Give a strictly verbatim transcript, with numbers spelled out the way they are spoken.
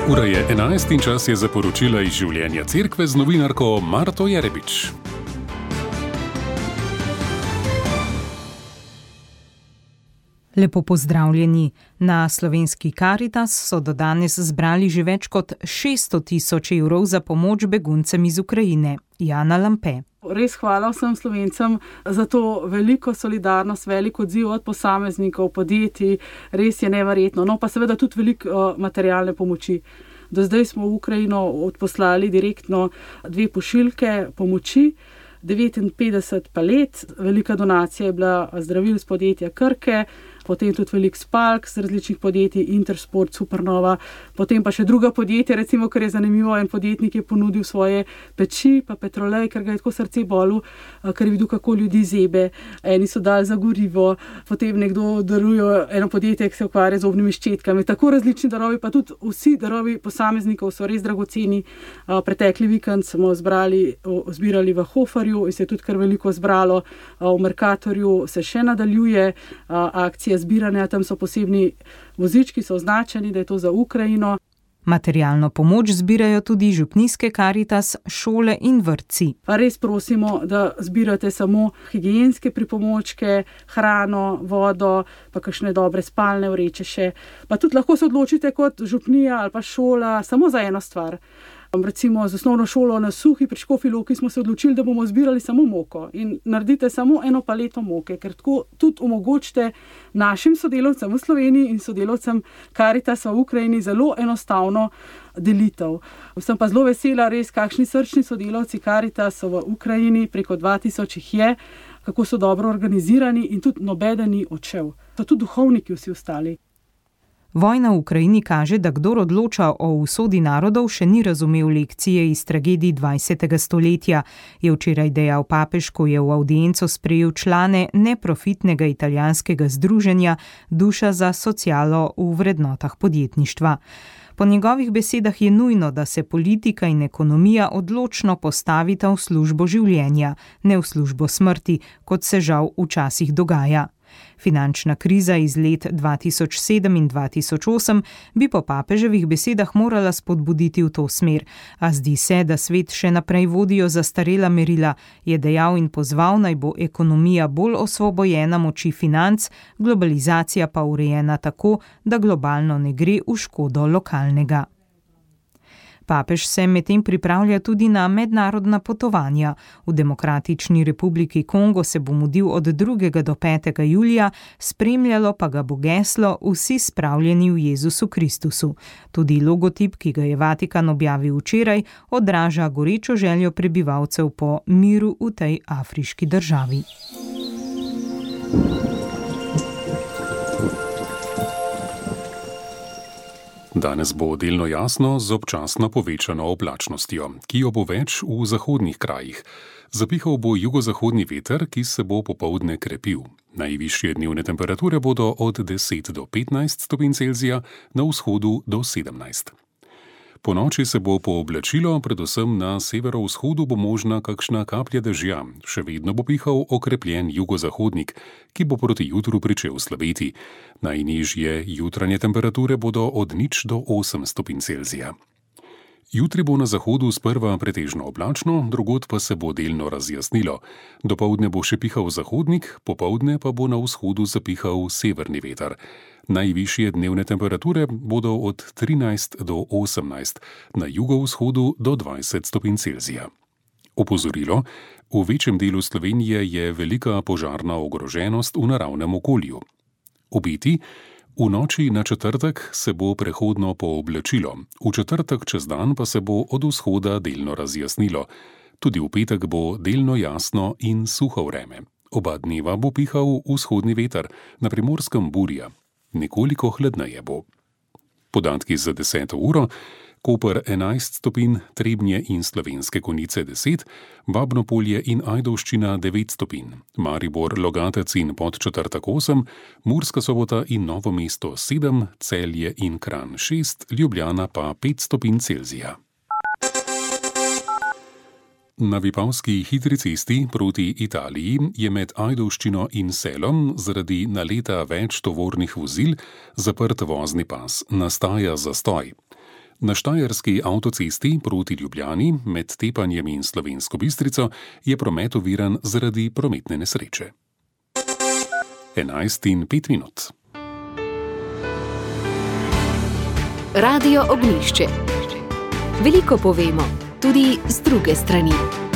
Ura je enajst in čas je za poročila iz življenja cerkve z novinarko Marto Jerebič. Lepo pozdravljeni. Na slovenski Karitas so do danes zbrali že več kot šeststo tisoč evrov za pomoč beguncem iz Ukrajine. Jana Lampe. Res hvala vsem Slovencem za to veliko solidarnost, veliko odziv od posameznikov, podjetij, res je neverjetno. No pa seveda tudi veliko uh, materialne pomoči. Do zdaj smo v Ukrajino odposlali direktno dve pošiljke pomoči, devetinpetdeset palet, velika donacija je bila zdravil z podjetja Krke, potem tudi velik spalk z različnih podjetij, Intersport, Supernova, potem pa še druga podjetja, recimo, ker je zanimivo, en podjetnik je ponudil svoje peči, pa petrolej, ker ga je tako srce bolelo, ker je videl, kako ljudi zebe, eni so dali za gorivo, potem nekdo daruje eno podjetje, ki se ukvarja z zobnimi ščetkami, tako različni darovi, pa tudi vsi darovi posameznikov so res dragoceni. Pretekli vikend smo zbrali, zbirali v Hoferju in se je tudi kar veliko zbralo, v Mercatorju se še nadaljuje akcija zbiranja, tam so posebni vozički, so označeni, da je to za Ukrajino. Materialno pomoč zbirajo tudi župnijske Karitas, šole in vrtci. Pa res prosimo, da zbirate samo higienske pripomočke, hrano, vodo, pa kakšne dobre spalne vreče še. Pa tudi lahko se odločite kot župnija ali pa šola samo za eno stvar. Recimo z osnovno šolo na Suhi pri Škofji Loki smo se odločili, da bomo zbirali samo moko in naredite samo eno paleto moke, ker tako tudi omogočite našim sodelavcem v Sloveniji in sodelavcem Karitasa v Ukrajini zelo enostavno delitev. Sem pa zelo vesela, res kakšni srčni sodelavci Karitasa v Ukrajini, preko dva tisoč jih je, kako so dobro organizirani in tudi nobeden ni odšel. So tudi duhovniki vsi ostali. Vojna v Ukrajini kaže, da kdor odloča o usodi narodov, še ni razumel lekcije iz tragedij dvajsetega stoletja, je včeraj dejal papež, ko je v avdienco sprejel člane neprofitnega italijanskega združenja Duša za socialo v vrednotah podjetništva. Po njegovih besedah je nujno, da se politika in ekonomija odločno postavita v službo življenja, ne v službo smrti, kot se žal včasih dogaja. Finančna kriza iz let dva tisoč sedem in dva tisoč osem bi po papeževih besedah morala spodbuditi v to smer, a zdi se, da svet še naprej vodijo zastarela merila, je dejal in pozval, naj bo ekonomija bolj osvobojena moči financ, globalizacija pa urejena tako, da globalno ne gre v škodo lokalnega. Papež se medtem pripravlja tudi na mednarodna potovanja. V Demokratični republiki Kongo se bo mudil od drugega do petega julija, spremljalo pa ga bo geslo Vsi spravljeni v Jezusu Kristusu. Tudi logotip, ki ga je Vatikan objavil včeraj, odraža gorečo željo prebivalcev po miru v tej afriški državi. Danes bo delno jasno z občasno povečano oblačnostjo, ki jo bo več v zahodnih krajih. Zapihal bo jugozahodni veter, ki se bo popoldne krepil. Najvišje dnevne temperature bodo od deset do petnajst stopinj Celzija, na vzhodu do sedemnajst. Po noči se bo pooblačilo, predvsem na severovzhodu bo možna kakšna kaplja dežja, še vedno bo pihal okrepljen jugozahodnik, ki bo proti jutru pričel slabeti. Najnižje jutranje temperature bodo od nič do osem stopinj Celzija. Jutri bo na zahodu sprva pretežno oblačno, drugod pa se bo delno razjasnilo. Dopoldne bo še pihal zahodnik, popoldne pa bo na vzhodu zapihal severni veter. Najvišje dnevne temperature bodo od trinajst do osemnajst, na jugovzhodu do dvajset stopinj Celzija. Opozorilo: v večjem delu Slovenije je velika požarna ogroženost v naravnem okolju. Obeti: v noči na četrtek se bo prehodno pooblačilo, v četrtek čez dan pa se bo od vzhoda delno razjasnilo. Tudi v petek bo delno jasno in suho vreme. Oba dneva bo pihal vzhodni veter, na Primorskem burja. Nekoliko hladneje bo. Podatki za deseto uro: Koper enajst stopinj, Trebnje in Slovenske Konjice deset, Babno Polje in Ajdovščina devet stopinj, Maribor, Logatec in Podčetrtek osem, Murska Sobota in Novo mesto sedem, Celje in Kranj šest, Ljubljana pa pet stopinj Celzija. Na Vipavski hitri cesti proti Italiji je med Ajdovščino in Selom zaradi naleta več tovornih vozil zaprt vozni pas, nastaja zastoj. Na štajerski avtocesti proti Ljubljani med Tepanjem in Slovensko Bistrico je promet oviran zaradi prometne nesreče. enajst in pet minut. Radio Ognjišče. Veliko povemo, tudi z druge strani.